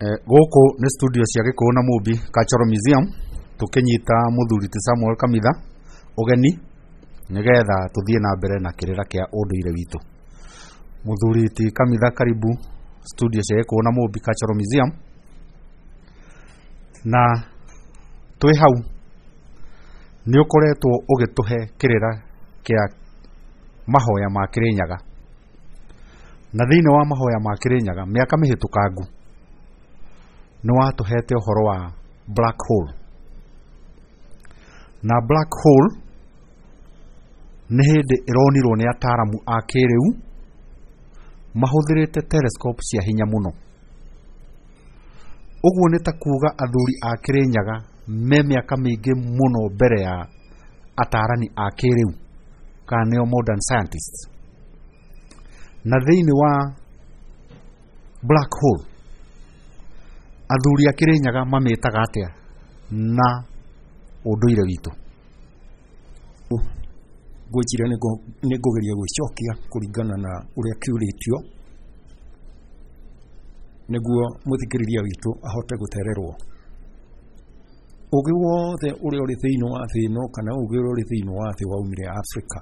Gũkũ nĩ studio cia Gĩkũyũ na Mũmbi Cultural Museum, tũkĩnyita mũthuri ti Samuel Kamitha ũgeni nĩgetha tũthiĩ na mbere na kĩrĩra kĩa ũndũire witũ. Mũthuri ti Kamitha, karibu studio cia Gĩkũyũ na Mũmbi Cultural Museum. Na twĩ hau nĩ ũkoretwo ũgĩtũhe kĩrĩra kĩa mahoya ma Kĩrĩnyaga, na thĩinĩ wa mahoya ma Kĩrĩnyaga mĩaka mĩhĩtũkangu nĩ watũhete ũhoro wa black hole. Na black hole nĩ hĩndĩ ĩronirwo nĩ ataaramu a kĩrĩu mahũthĩrĩte telescope cia hinya mũno. Ũguo nĩ ta kuga athuri a Kĩrĩnyaga me mĩaka mĩingĩ mũno mbere ya ataarani a kĩrĩu, kana nĩo modern scientists. Na thĩinĩ wa black hole athuri a Kĩrĩnyaga mamĩtaga atĩa na ũndũire witũ? Ngwĩciria nĩ ngũgeria gwĩcokia kũringana na ũrĩa kĩũrĩtio nĩguo mũthikĩrĩria witũ ahote gũtererwo. Ũgĩ wothe ũrĩa ũrĩ thĩinĩ wa thĩ ĩno kana ũgĩ ũrĩa ũrĩ thĩinĩ wa thĩ waumire Afrika.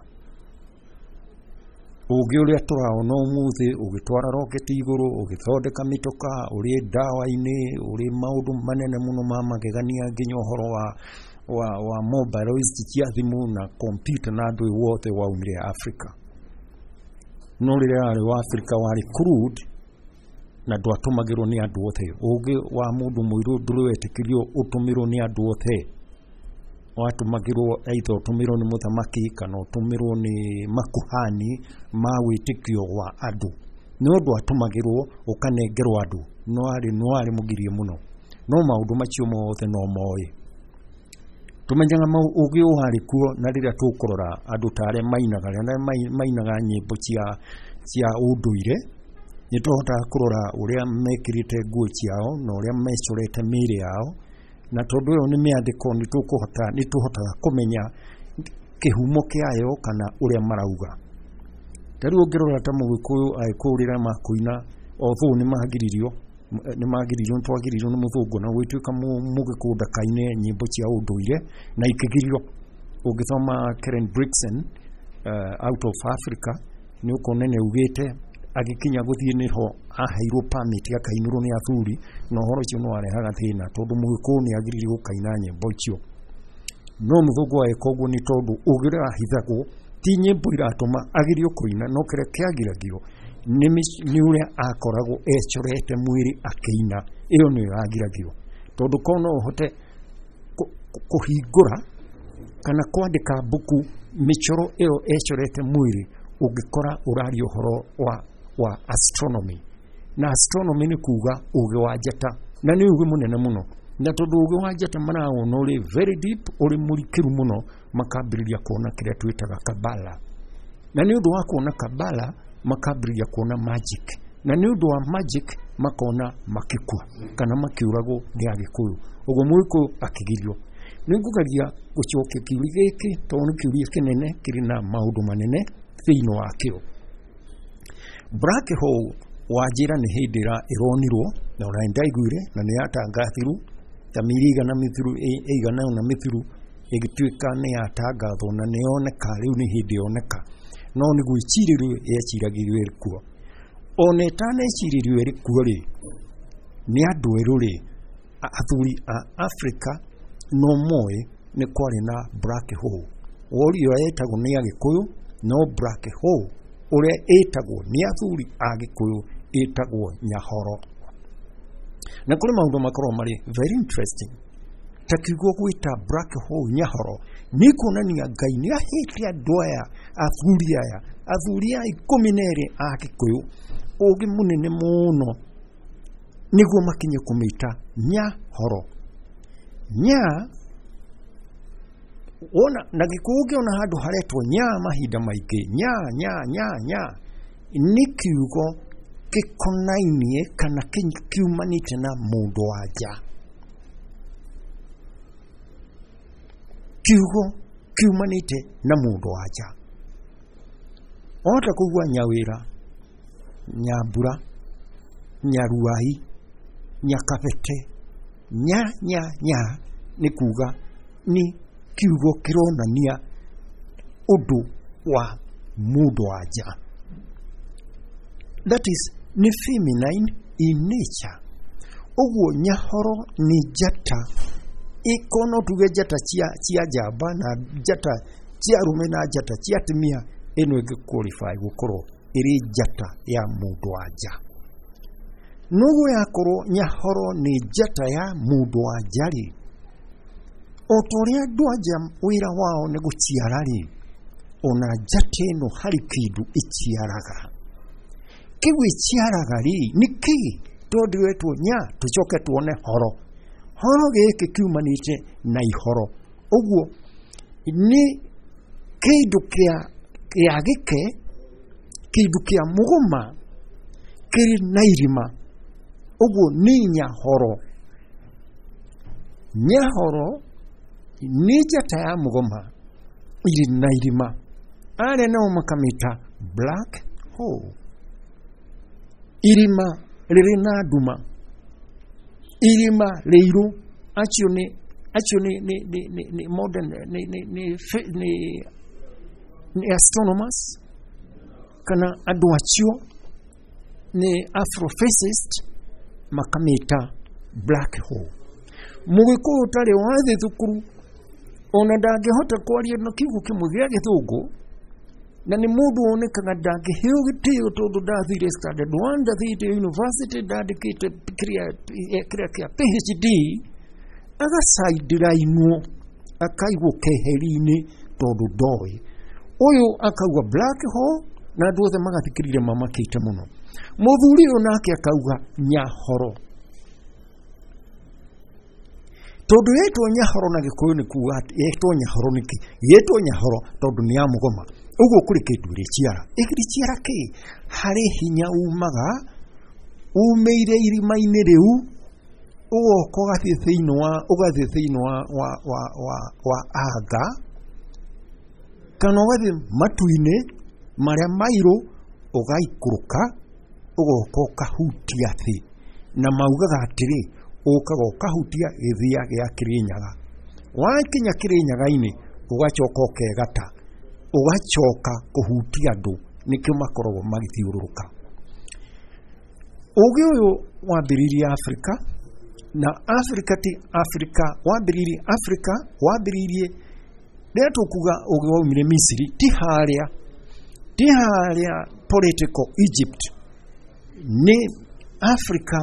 Ũgĩ ũrĩa tũraona ũmũthĩ ũgĩtwara roketi igũrũ, ũgĩthondeka mĩtoka, ũrĩ ndawa-inĩ, ũrĩ maũndũ manene mũno ma magegania, nginya ũhoro wa mobile ici cia thimũ na kompyuta na andũ wothe waumire Afrika. No rĩrĩa warĩ wa Afrika warĩ crude na ndwatũmagĩrwo nĩ andũ othe. Ũgĩ wa mũndũ mũirũ ndũrĩ wetĩkĩrio ũtũmĩrwo nĩ andũ othe. Watũmagĩrwo either ũtũmĩrwo nĩ mũthamaki kana ũtũmĩrwo nĩ makuhani ma wĩtĩkio wa andũ. No ndwatũmagĩrwo ũkanengerwo andũ, no warĩ mũgirie mũno. No maũndũ macio mothe no moĩ. Tũmenyaga ũgĩ warĩ kuo, na rĩrĩa tũkũrora andũ ta arĩa mainaga, arĩa mainaga nyĩmbo cia ũndũire, nĩ tũhotaga kũrora ũrĩa mekĩrĩte nguo ciao na ũrĩa mecorete mĩĩrĩ yao, na tondũ ĩyo nĩ mĩandĩko nĩ tũhotaga kũmenya kĩhumo kĩayo kana ũrĩa marauga. Ta rĩu ũngĩrora ta Mũgĩkũyũ, Agĩkũyũ rĩrĩa makũina, although nĩ magiririo, nĩ twagiririo nĩ mũthũngũ na gũgĩtuĩka Mũgĩkũyũ ndakaine nyĩmbo cia ũndũire na ikĩgirio. Ũngĩthoma Karen Blixen, Out of Africa, nĩ ũkuona nĩ augĩte agĩkinya gũthiĩ nĩho aheirwo permit akainĩrwo nĩ athuri, na ũhoro ũcio nĩ warehaga thĩna tondũ Mũgĩkũyũ nĩ agiririo gũkaina nyĩmbo icio. No mũthũngũ agĩka ũguo nĩ tondũ ũgĩ ũrĩa wahithagwo ti nyĩmbo iratũma agirio kũina, no kĩrĩa kĩagiragio nĩ ũrĩa akoragwo ecorete mwĩrĩ akĩina, ĩyo nĩyo yagiragio. Tondũ korwo no ũhote kũhingũra kana kwandĩka mbuku mĩcoro ĩyo ecorete mwĩrĩ, ũngĩkora ũraria ũhoro wa astronomy. Na astronomy nĩ kuga ũgĩ wa njata, na nĩ ũgĩ mũnene mũno. Na tondũ ũgĩ wa njata marawona ũrĩ very deep, ũrĩ mũrikĩru mũno, makambĩrĩria kuona kĩrĩa twĩtaga Kabala. Na nĩ ũndũ wa kuona Kabala, makambĩrĩria kuona magic. Na nĩ ũndũ wa magic makona makĩkua kana makĩũragwo nĩ Agĩkũyũ. Ũguo Mũgĩkũyũ akĩgirio. Nĩ ngũgeria gũcokia kĩũria gĩkĩ tondũ nĩ kĩũria kĩnene kĩrĩ na maũndũ manene thĩinĩ wakĩo. Black hole wanjĩra nĩ hĩndĩ ĩronirwo, na ona nĩndaiguire na nĩ yatangathirwo ta mĩeri ĩigana mĩthiru, ĩigana ũna mĩthiru, ĩgĩtuĩka nĩ yatangathwo na nĩ yoneka, rĩu nĩ hĩndĩ yoneka. No nĩ gwĩcirĩrio yeciragĩrio ĩrĩ kuo. Ona ĩtanecirĩrio ĩrĩ kuo rĩ, nĩ andũ erũ rĩ, athuri a Afrika no moĩ nĩ kwarĩ na black hole. Wori ĩyo yetagwo nĩ Agĩkũyũ, no black hole ũrĩa ĩtagwo nĩ athuri a Gĩkũyũ ĩtagwo Nyahoro. Na kũrĩ maũndũ makoragwo marĩ very interesting. Ta kiugo gwĩta black hole Nyahoro nĩ kuonania Ngai nĩ ahete andũ aya, athuri aya, athuri aya 12 a Gĩkũyũ ũgĩ mũnene mũno nĩguo makinye kũmĩta Nyahoro. Nya wona na Gĩkũyũ ũngĩona handũ haretwo nya mahinda maingĩ, nya nya nya nya nĩ kiugo gĩkonainie kana kiumanĩte na mũndũ wa nja. Kiugo kiumanĩte na mũndũ wa nja. Wahota kũigua Nyawĩra, Nyambura, Nyaruai, Nyakabete. Nya nya nya nĩ kuga nĩ kiugo kĩronania ũndũ wa mũndũ wa nja. That is nĩ feminine in nature. Ũguo Nyahoro nĩ njata ĩko no tuge njata cia njamba na njata cia arũme na njata cia atumia, ĩno ĩngĩ qualify gũkorwo ĩrĩ njata ya mũndũ wa nja. Noguo yakorwo Nyahoro nĩ njata ya mũndũ wa nja rĩ, o ta ũrĩa andũ a nja wĩra wao nĩ gũciara rĩ, ona njata ĩno harĩ kĩndũ ĩciaraga. Kĩu ĩciaraga rĩ, nĩ kĩ? Tondũ wetwo nya, tũcoke tuone horo. Horo gĩkĩ kiumanĩte na ihoro. Ũguo nĩ kĩndũ kĩa gĩke, kĩndũ kĩa mũgoma kĩrĩ na irima. Ũguo nĩ Nyahoro. Nyahoro nĩ njata ya mũgoma irĩ na irima. Arĩa nao makamĩta black hole. Irima rĩrĩ na nduma, irima rĩirũ. Acio nĩ modern nĩ astronomers kana andũ acio nĩ afrophysicist makamĩta black hole. Mũgĩkũyũ ũtarĩ wathiĩ thukuru ona ndangĩhota kwaria na kiugo kĩmwe gĩa gĩthũngũ, na nĩ mũndũ wonekaga ndangĩheo gĩtĩo tondũ ndathire standard 1, ndathire university, ndandĩkĩte kĩrĩa kĩa PhD, agacindirainwo akaigwo keheri-inĩ tondũ ndoĩ. Ũyũ akauga black hole na andũ othe magathikĩrĩria mamakĩte mũno. Mũthuri ũyũ nake akauga Nyahoro. Tondũ yetwo Nyahoro na Gĩkũyũ nĩ kuga atĩ yetwo Nyahoro nĩkĩ? Yetwo Nyahoro tondũ nĩ ya mũgoma. Ũguo kũrĩ kĩndũ ĩrĩciara. Ĩrĩciara kĩ? Harĩ hinya umaga umĩire irima-inĩ rĩu, ũgoka ũgathiĩ thĩinĩ wa ũgathiĩ thĩinĩ wa anga, kana ũgathiĩ matu-inĩ marĩa mairũ, ũgaikũrũka ũgoka ũkahutia thĩ. Na maugaga atĩrĩ, ũkaga ũkahutia gĩthia gĩa Kĩrĩnyaga. Wakinya Kĩrĩnyaga-inĩ ũgacoka ũkegata, ũgacoka kũhutia andũ, nĩkĩo makoragwo magĩthiũrũrũka. Ũgĩ ũyũ wambĩrĩirie Afrika, na Afrika ti Afrika, wambĩrĩirie Afrika, wambĩrĩirie rĩrĩa tũkuga ũgĩ waumire Misiri, ti harĩa political Egypt, nĩ Afrika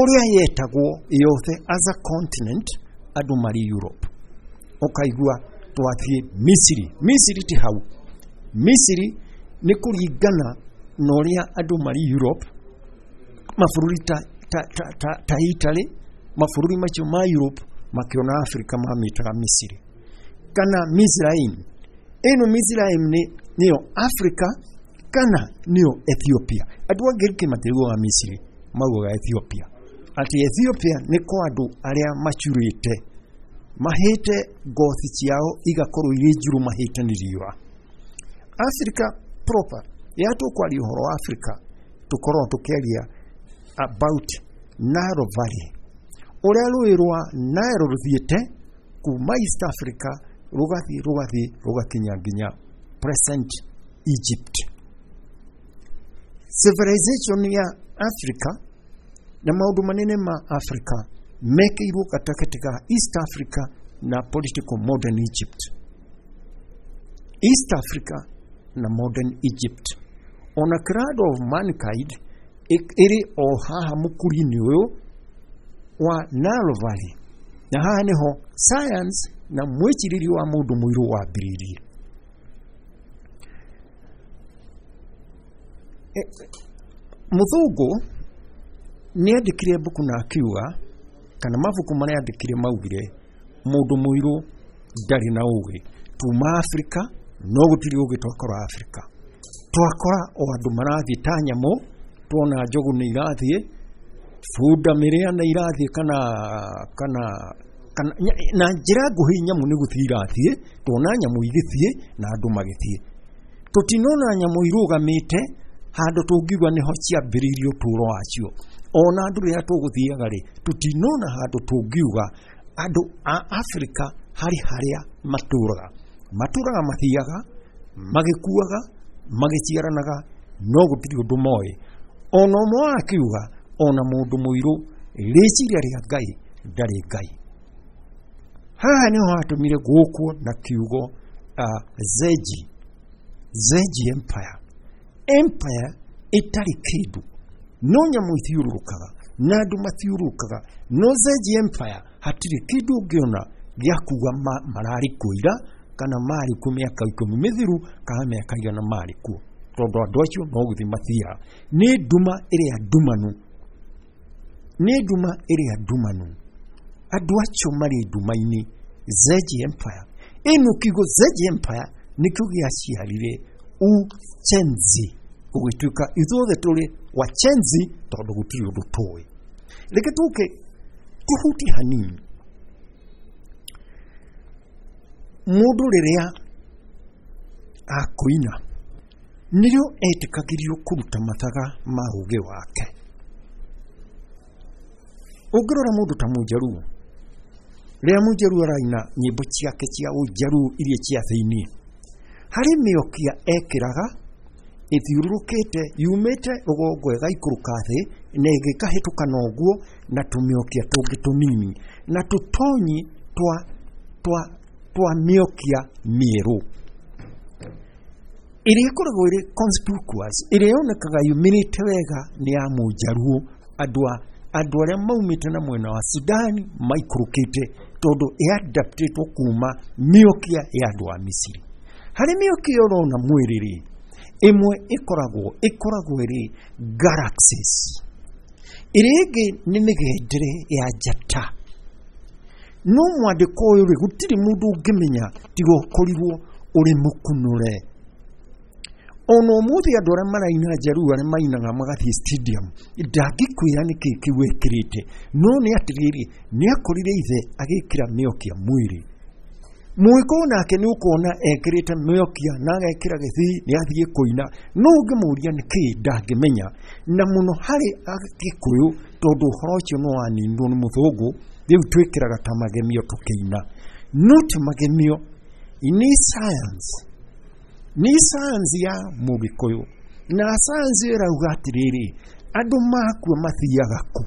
ũrĩa yetagwo yothe as a continent andũ marĩ Europe. Ũkaigua twathiĩ Misiri. Misiri ti hau. Misiri nĩ kũringana na ũrĩa andũ marĩ Europe, mabũrũri ta Italy, mabũrũri macio ma Europe makĩona Afrika mamĩtaga Misiri kana Mizraim. Ĩno Mizraim nĩyo Afrika kana nĩyo Ethiopia. Andũ a Ngiriki matiugaga Misiri, maugaga Ethiopia. Atĩ Ethiopia nĩ kwa andũ arĩa macurĩte, mahĩte ngothi ciao igakorwo irĩ njirũ, mahĩte nĩ riũa. Africa proper, rĩrĩa tũkwaria ũhoro wa Africa tũkoragwo tũkĩaria about Nile Valley, ũrĩa rũĩ rwa Nile rũthiĩte kuma East Africa rũgathiĩ rũgathiĩ rũgakinya nginya present Egypt. Civilization ya Africa na maũndũ manene ma Africa mekĩirwo gatagatĩ ka East Africa na political modern Egypt. East Africa na modern Egypt. Ona cradle of mankind ĩrĩ o haha mũkuri-inĩ ũyũ wa Nile Valley. Na haha nĩho science na mwĩcirĩrie wa mũndũ mũirũ wambĩrĩirie. Mũthũngũ nĩ andĩkire mbuku na akiuga, kana mabuku marĩa andĩkire maugire mũndũ mũirũ ndarĩ na ũgĩ. Tuma Afrika no gũtirĩ ũgĩ twakora Afrika. Twakora o andũ marathiĩ ta nyamũ, tuona njogu nĩ irathiĩ, bunda mĩrĩa nĩ irathiĩ, kana na njĩra nguhĩ nyamũ nĩ gũthiĩ irathiĩ, tuona nyamũ igĩthiĩ na andũ magĩthiĩ. Tũtinona nyamũ irũgamĩte handũ tũngiuga nĩho ciambĩrĩirie ũtũũro wacio. Ona andũ rĩrĩa tũgũthiaga rĩ, tũtinona handũ tũngiuga andũ a Afrika harĩ harĩa matũraga. Matũraga mathiaga, magĩkuaga, magĩciaranaga, no gũtirĩ ũndũ moĩ. Ona ũmwe wao akiuga ona mũndũ mũirũ rĩciria rĩa Ngai ndarĩ Ngai. Haha nĩho hatũmire gũkwo na kiugo Zenji, Zenji Empire. Empire ĩtarĩ kĩndũ, no nyamũ ithiũrũrũkaga na andũ mathiũrũrũkaga, no Zenji Empire hatirĩ kĩndũ ũngĩona gĩa kuga mararĩ kuo ira kana marĩ kuo mĩaka 10 mĩthiru kana mĩaka 100 marĩ kuo, tondũ andũ acio no gũthiĩ mathiaga. Nĩ nduma ĩrĩa ndumanu, nĩ nduma ĩrĩa ndumanu, andũ acio marĩ nduma-inĩ. Zenji Empire ĩno, kiugo Zenji Empire nĩkĩo gĩaciarire Uchenzi, gũgĩtuĩka ithuothe tũrĩ wachenzi tondũ gũtirĩ ũndũ tũĩ. Reke tũke tũhutie hanini. Mũndũ rĩrĩa akũina nĩrĩo etĩkagĩrio kũruta mathaga ma ũũgĩ wake. Ũngĩrora mũndũ ta Mũnjaruo, rĩrĩa Mũnjaruo araina nyĩmbo ciake cia Ũnjaruo iria cia thĩiniĩ, harĩ mĩokia ekĩraga ĩthiũrũrũkĩte yumĩte rũgongo ĩgaikũrũka thĩ na ĩgĩkahĩtũka na ũguo na tũmĩokia tũngĩ tũnini na tũtonyi twa mĩokia mĩerũ ĩrĩa ĩkoragwo ĩrĩ conspicuous, ĩrĩa yonekaga yumĩrĩte wega nĩ ya Mũnjaruo. Andũ arĩa maumĩte na mwena wa Sudani maikũrũkĩte tondũ ĩadaptĩtwo kuma mĩokia ya andũ a Misiri. Harĩ mĩokia ũrona mwĩrĩ rĩ, ĩmwe ĩkoragwo ĩrĩ galaxies, ĩrĩa ĩngĩ nĩ mĩgendere ya njata. No mwandĩko ũyũ rĩ, gũtirĩ mũndũ ũngĩmenya tiga ũkorirwo ũrĩ mũkunũre. Ona ũmũthĩ andũ arĩa maraina Njaruo arĩa mainaga magathiĩ stadium, ndangĩkwĩra nĩkĩ kĩu ekĩrĩte, no nĩ atĩrĩrĩ, nĩ akorire ithe agĩkĩra mĩokia mwĩrĩ. Mũgĩkũyũ nake nĩ ũkuona ekĩrĩte mĩokia na agekĩra gĩthii nĩ athiĩ kũina, no ũngĩmũria nĩkĩ ndangĩmenya. Na mũno harĩ Agĩkũyũ, tondũ ũhoro ũcio nĩ waninirwo nĩ mũthũngũ, rĩu twĩkĩraga ta magemio tũkĩina. No ti magemio, nĩ science. Nĩ science ya Mũgĩkũyũ. Na science ĩrauga atĩrĩrĩ, andũ makua mathiaga kũ?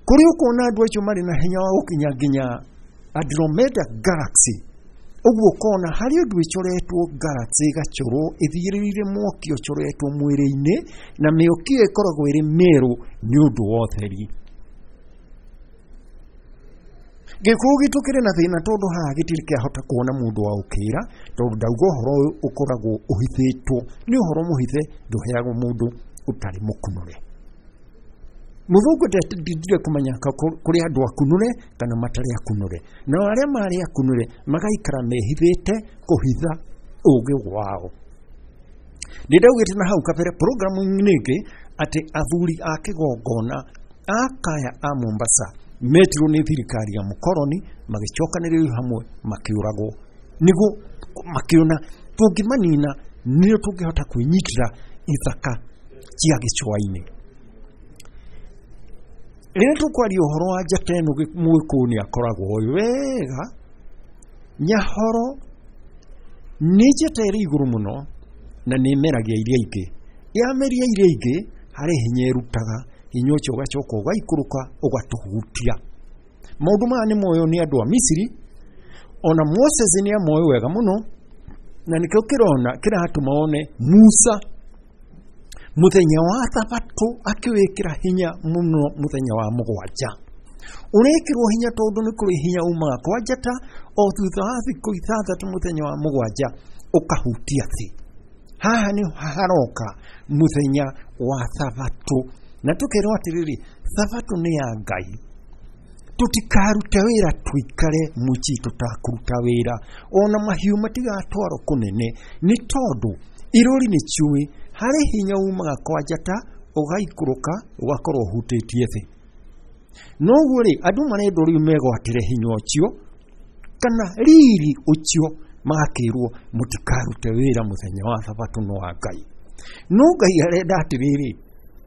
Kũrĩa ũkuona andũ acio marĩ na hinya wa gũkinya nginya Andromeda Galaxy, ũguo ũkona harĩ ũndũ ĩcoretwo galaxy ĩgachorwo ĩthiĩrĩire mwaki ũcoretwo mwĩrĩ-inĩ, na mĩoki ĩyo ĩkoragwo ĩrĩ mĩerũ nĩ ũndũ wa ũtheri. Gĩkũyũ gitũ kĩrĩ na thĩna tondũ haha gĩtirĩ kĩahota kuona mũndũ wa ũkĩra, tondũ ndauga ũhoro ũyũ ũkoragwo ũhithĩtwo, nĩ ũhoro mũhithe, ndũheagwo mũndũ ũtarĩ mũkunũre. Mũthũngũ ndendire kũmenya kũrĩ andũ akunũre kana matarĩ akunũre, nao arĩa marĩ akunũre magaikara mehithĩte kũhitha ũũgĩ wao. Nĩndaugĩte na hau kabere programu-inĩ ĩngĩ atĩ athuri a kĩgongona a kaya a Mombasa metirwo nĩ thirikari ya mũkoroni, magĩcokanĩrĩrio hamwe makĩũragwo, nĩguo makĩona tũngĩmanina nĩrĩo tũngĩhota kwĩnyitĩra ithaka cia gĩcũa-inĩ. Rĩrĩa tũkwaria ũhoro wa njata ĩno, Mũgĩkũyũ nĩ akoragwo oĩ wega Nyahoro nĩ njata ĩrĩ igũrũ mũno na nĩ ĩmeragia iria ingĩ. Yameria iria ingĩ harĩ hinya ĩrutaga, hinya ũcio ũgacoka ũgaikũrũka ũgatũhutia. Maũndũ maya nĩ moyo nĩ andũ a Misiri, ona Moses nĩ amoĩ wega mũno, na nĩkĩo kĩrona kĩratũma one Musa mũthenya wa thabatũ akĩwĩkĩra hinya mũno mũthenya wa mũgwanja. Ũrekĩrwo hinya tondũ nĩ kũrĩ hinya umaga kwa njata, o thutha wa thikũ 6 mũthenya wa mũgwanja ũkahutia thĩ. Haha nĩ haroka mũthenya wa thabatũ, na tũkerwo atĩrĩrĩ, thabatũ nĩ ya Ngai. Tũtikarute wĩra tũikare mũciĩ tũtakũruta wĩra, ona mahiũ matigatwarwo kũnene, nĩ tondũ irũri nĩ ciũĩ harĩ hinya umaga kwa njata ũgaikũrũka ũgakorwo ũhutĩtie thĩ. Noguo rĩ, andũ marendwo rĩu megwatĩre hinya ũcio kana riri ũcio, magakĩrwo mũtikarute wĩra mũthenya wa thabatũ no wa Ngai. No Ngai arenda atĩrĩrĩ,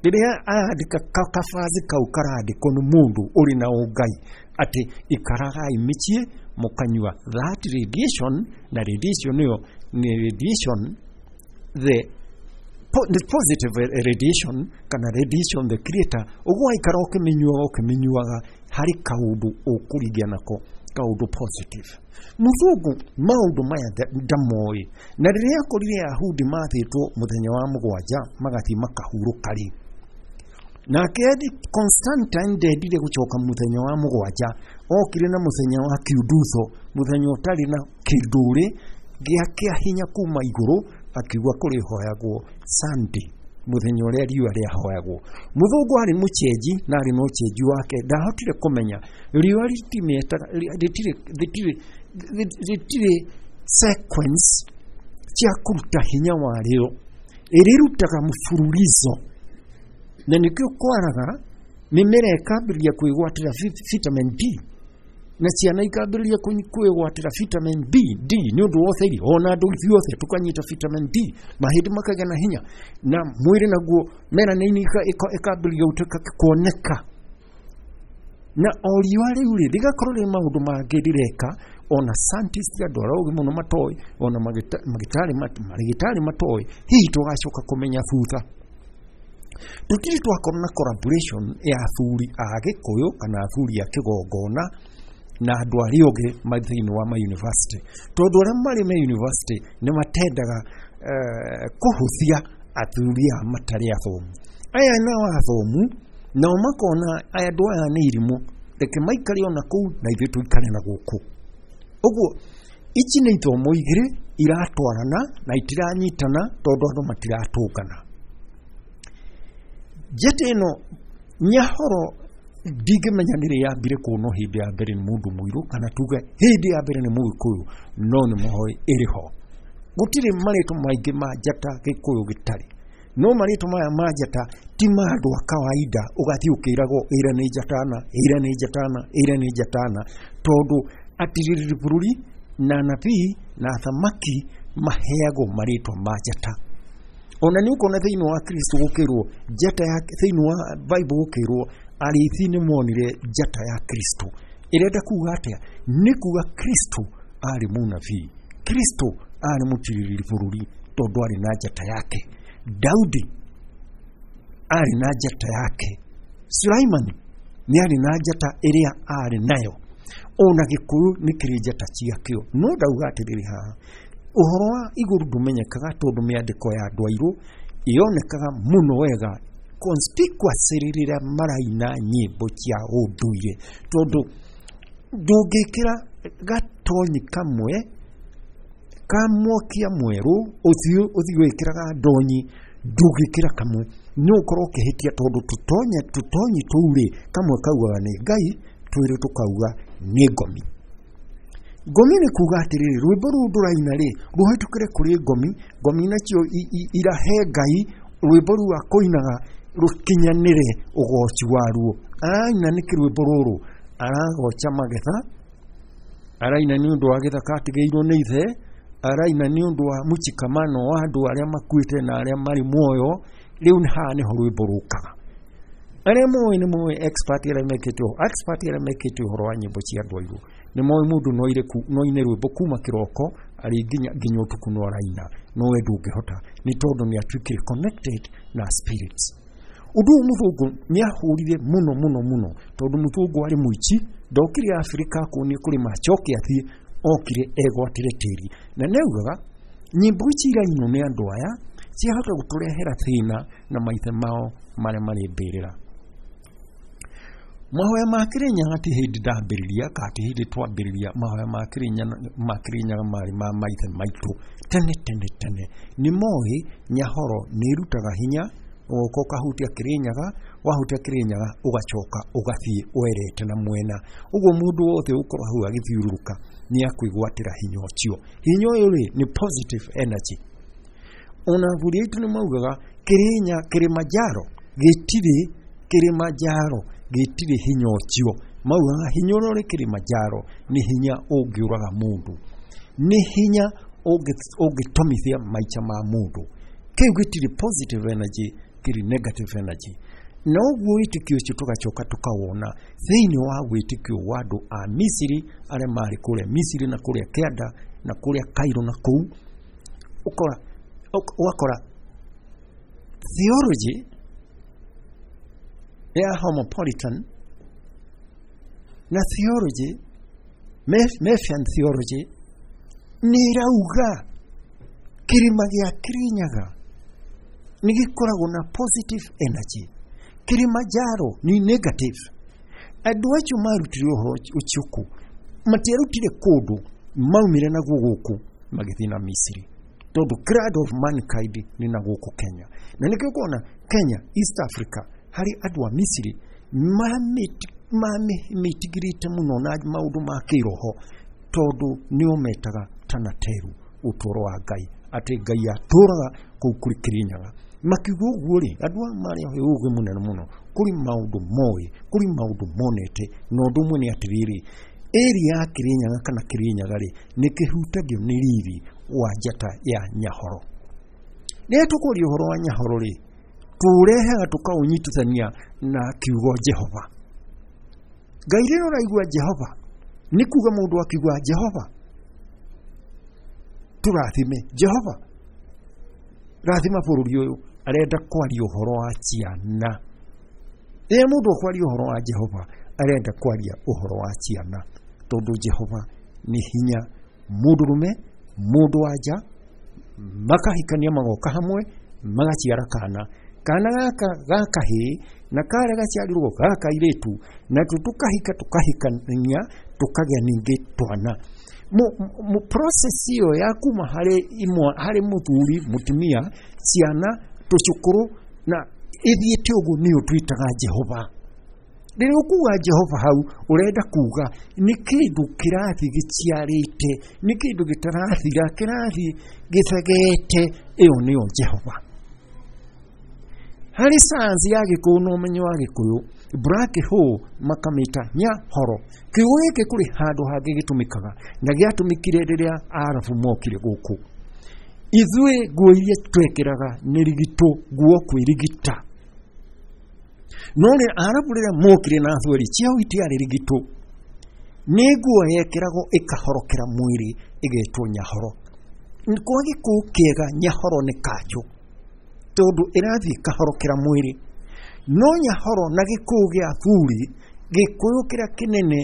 Rĩrĩa arandĩka kabathi kau karandĩkwo nĩ mũndũ ũrĩ na ũngai atĩ ikaragai mĩciĩ mũkanyua that radiation, na radiation ĩyo nĩ radiation the the positive radiation kana radiation the creator. Ũguo waikara ũkĩmĩnyuaga ũkĩmĩnyuaga harĩ kaũndũ ũkũrigia nako kaũndũ positive. Mũthũngũ maũndũ maya ndamoĩ, na rĩrĩa akorire Ayahudi mathĩtwo mũthenya wa mũgwanja magathiĩ makahurũka rĩ, nake Constantine ndendire gũcoka mũthenya wa mũgwanja, okire na mũthenya wa kiundutho, mũthenya ũtarĩ na kĩndũrĩ gĩa kĩa hinya kuma igũrũ, akiuga kũrĩhoyagwo Sunday, mũthenya ũrĩa riũa rĩahoyagwo. Mũthũngũ arĩ mũchenji na arĩ na ũchenji wake, ndahotire kũmenya riũa rĩtirĩ sequence cia kũruta hinya warĩo, ĩrĩrutaga mũbururizo, na nĩkĩo kwaraga mĩmera ĩkambĩrĩria kwĩgwatĩra vitamin D na ciana ikambĩrĩria kwĩgwatĩra vitamin B D nĩ ũndũ wa ũtheri, ona andũ ithuothe tũkanyita vitamin D, mahĩndĩ makagĩa na hinya na mwĩrĩ naguo melanin ĩkambĩrĩria gũtuĩka kuoneka. Na o riũa rĩu rĩ rĩgakorwo rĩ maũndũ mangĩ rĩreka, ona scientist andũ arĩa ogĩ mũno matoĩ, ona marĩgĩtarĩ matoĩ, hihi tũgacoka kũmenya thutha. Tũtirĩ twakorwo na collaboration ya athuri a Gĩkũyũ kana athuri a kĩgongona na andũ arĩa ogĩ thĩinĩ wa ma university, tondũ arĩa marĩ ma university nĩ matendaga kũhũthia athuri aya matarĩ athomu. Aya nao athomu nao makona andũ aya nĩ irimũ, reke maikare ona kũu na ithuĩ tũikare na gũkũ. Ũguo ici nĩ ithomo igĩrĩ iratwarana na itiranyitana tondũ andũ matiratũngana. Njata ĩno Nyahoro ndingĩmenya nĩ rĩ yambire kuonwo hĩndĩ ya mbere nĩ mũndũ mũirũ, kana tuge hĩndĩ ya mbere nĩ Mũgĩkũyũ, no nĩ mũhoi ĩrĩ ho. Gũtirĩ marĩtwa maingĩ ma njata Gĩkũyũ gĩtarĩ, no marĩtwa maya ma njata ti ma andũ a kawaida ũgathiĩ ũkĩragwo ĩra nĩ njatana, ĩra nĩ njatana, ĩra nĩ njatana, tondũ atirĩrĩri bũrũri na anabii na athamaki maheagwo marĩtwa ma njata. Ona nĩ ũkuona thĩinĩ wa Kristo gũkĩrwo njata ya, thĩinĩ wa Bible gũkĩrwo arĩithi nĩ monire njata ya Kristo. Ĩrenda kuga atĩa? Nĩ kuga Kristo arĩ mũnabii, Kristo arĩ mũtirĩrĩri bũrũri tondũ arĩ na njata yake. Daudi arĩ na njata yake, Sulaimani nĩ arĩ na njata ĩrĩa arĩ nayo. Ona Gĩkũyũ nĩ kĩrĩ njata ciakĩo. No ndauga atĩrĩrĩ haha, ũhoro wa igũrũ ndũmenyekaga tondũ mĩandĩko ya andũ airũ yonekaga mũno wega conspicuously rĩrĩa maraina nyĩmbo cia ũndũire, tondũ ndũngĩkĩra gatonyi kamwe ka mwakia mwerũ ũthiĩ wĩkĩraga ndonyi, ndũngĩkĩra kamwe, nĩ ũkorwo ũkĩhĩtia, tondũ tũtonyi tũu rĩ, kamwe kaugaga nĩ Ngai, twĩrĩ tũkauga nĩ ngomi. Ngomi nĩ kuga atĩrĩrĩ, rwĩmbo rũu ndũraina rĩ, rũhĩtũkĩre kũrĩ ngomi, ngomi nacio irahe Ngai rwĩmbo rũu akũinaga rũkinyanĩre ũgoci waruo. Araina nĩkĩ rwĩmbo rũrũ? Aragoca magetha, araina nĩ ũndũ wa gĩthaka atigĩirwo nĩ ithe, araina nĩ ũndũ wa mũchikamano wa andũ arĩa makuĩte na arĩa marĩ muoyo. Rĩu haha nĩho rwĩmbo rũkaga. Arĩa moĩ nĩ moĩ, expert arĩa mekĩte expert arĩa mekĩte ũhoro wa nyĩmbo cia andũ airũ nĩ moĩ mũndũ no aine rwĩmbo kuma kĩroko arĩ nginya ũtukũ no araina, no we ndũngĩhota, nĩ tondũ nĩ atuĩkire connected na spirits. Ũndũ ũyũ mũthũngũ nĩ ahũrire mũno mũno mũno, tondũ mũthũngũ arĩ mũici, ndokire Afrika kuonia kũrĩma acoke athiĩ, okire egwatĩre tĩri. Na nĩ augaga nyĩmbo ici irainwo nĩ andũ aya ciahota gũtũrehera thĩna na maithe mao marĩa marĩ mbĩrĩra. Mahoya ma Kĩrĩnyaga ti hĩndĩ ndambĩrĩria, kana ti hĩndĩ twambĩrĩria. Mahoya ma Kĩrĩnyaga marĩ ma maithe maitũ tene tene tene. Nĩ moĩ Nyahoro nĩ ĩrutaga hinya, ũgoka ũkahutia Kĩrĩnyaga, wahutia Kĩrĩnyaga ũgacoka ũgathiĩ werete na mwena. Ũguo mũndũ wothe ũkorwo hau agĩthiũrũrũka nĩ akwĩgwatĩra hinya ũcio. Hinya ũyũ rĩ nĩ positive energy. Ona athuri aitũ nĩ maugaga Kĩrĩnya, Kĩrĩmanjaro gĩtirĩ, Kĩrĩmanjaro gĩtirĩ hinya ũcio. Maugaga hinya ũrĩa ũrĩ Kĩrĩmanjaro nĩ hinya ũngĩũraga mũndũ, nĩ hinya ũngĩtomithia maica ma mũndũ. Kĩu gĩtirĩ positive energy, Kĩrĩ negative energy. Na ũguo wĩtĩkio ũcio tũgacoka tũkawona thĩinĩ wa wĩtĩkio wa andũ a Misiri arĩa marĩ kũrĩa Misiri na kũrĩa Kĩanda na kũrĩa Cairo na kũu ũkora ũgakora theology ya homopolitan na theology Mephian theology nĩ ĩrauga kĩrĩma gĩa Kĩrĩnyaga nĩ gĩkoragwo na positive energy, Kilimanjaro ni negative. Andũ acio marutire ũhoro ũcio kũ? Matiarutire kũndũ, maumire naguo gũkũ magĩthiĩ na Misiri, tondũ cradle of mankind nĩ na gũkũ Kenya. Na nĩkĩo ũkona Kenya, East Africa, harĩ andũ a Misiri mamĩtigirĩte mũno na maũndũ ma kĩroho, tondũ nĩo metaga Tanateru, ũtũũro wa Ngai, atĩ Ngai atũũraga kũu kũrĩ Kĩrĩnyaga. Makiuga ũguo rĩ, andũ aya marĩ ũgĩ mũnene mũno, kũrĩ maũndũ moĩ, kũrĩ maũndũ monete, na ũndũ ũmwe nĩ atĩrĩrĩ, area ya Kĩrĩnyaga kana Kĩrĩnyaga rĩ, nĩ kĩhutagio nĩ riri wa njata ya Nyahoro. Rĩrĩa tũkwaria ũhoro wa Nyahoro rĩ, tũũrehaga tũkaũnyitithania na kiugo Jehova. Ngai rĩrĩa ũraigua Jehova, nĩ kuga mũndũ akiuga Jehova tũrathime, Jehova rathima bũrũri ũyũ, arenda kwaria ũhoro wa ciana. Rĩrĩa mũndũ akwaria ũhoro wa Jehova, arenda kwaria ũhoro wa ciana, tondũ Jehova nĩ hinya. Mũndũrũme, mũndũ wa nja, makahikania magoka hamwe, magaciara kana. Kana gaka gakahĩĩ na karĩa gaciarirwo gaka kairĩtu, natuo tũkahika tũkahikania tũkagĩa ningĩ twana. Mu process ĩyo ya kuma harĩ imwe, harĩ mũthuri, mũtumia, ciana, tũcũkũrũ, na ĩthiĩte ũguo nĩyo twĩtaga Jehova. Rĩrĩa ũkuga Jehova hau, ũrenda kuga nĩ kĩndũ kĩrathiĩ gĩciarĩte, nĩ kĩndũ gĩtarathira, kĩrathiĩ gĩthegete, ĩyo nĩyo Jehova. Harĩ sayansi ya Gĩkũyũ na ũmenyo wa Gĩkũyũ, black hole makamĩta Nyahoro. Kiugo gĩkĩ kũrĩ handũ hangĩ gĩtũmĩkaga, na gĩatũmĩkire rĩrĩa Arabu mokire gũkũ. Ithuĩ nguo iria twekĩraga nĩ rigitũ, nguo kwĩrigita. No rĩ Arabu rĩrĩa mokire na athweri, ciao itiarĩ rigitũ, nĩ nguo yekĩragwo ĩkahorokera mwĩrĩ ĩgetwo Nyahoro. Kwa Gĩkũyũ kĩega Nyahoro nĩ kanjũ, tondũ ĩrathiĩ ĩkahorokera mwĩrĩ. No Nyahoro na Gĩkũyũ gĩa athuri, Gĩkũyũ kĩrĩa kĩnene,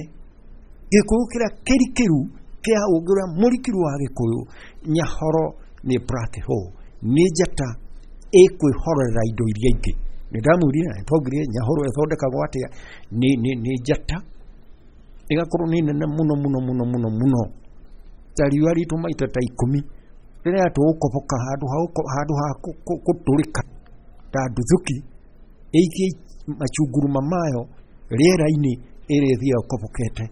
Gĩkũyũ kĩrĩa kĩrikĩru kĩa ũngĩ ũrĩa mũrikĩru wa Gĩkũyũ, Nyahoro nĩ black hole, nĩ njata ĩkwĩhorera indo iria ingĩ. Nĩ ndamwĩrire na nĩtwaugire Nyahoro ĩthondekagwo atĩa, nĩ njata ĩgakorwo nĩ nene mũno mũno mũno mũno mũno, ta riũa ritũ maita ta 10, rĩrĩa tũgũkoboka handũ ha gũtũrĩka ta nduthũki, ĩikie machunguruma mayo rĩera-inĩ, ĩrĩa ĩthiaga ĩkobokete.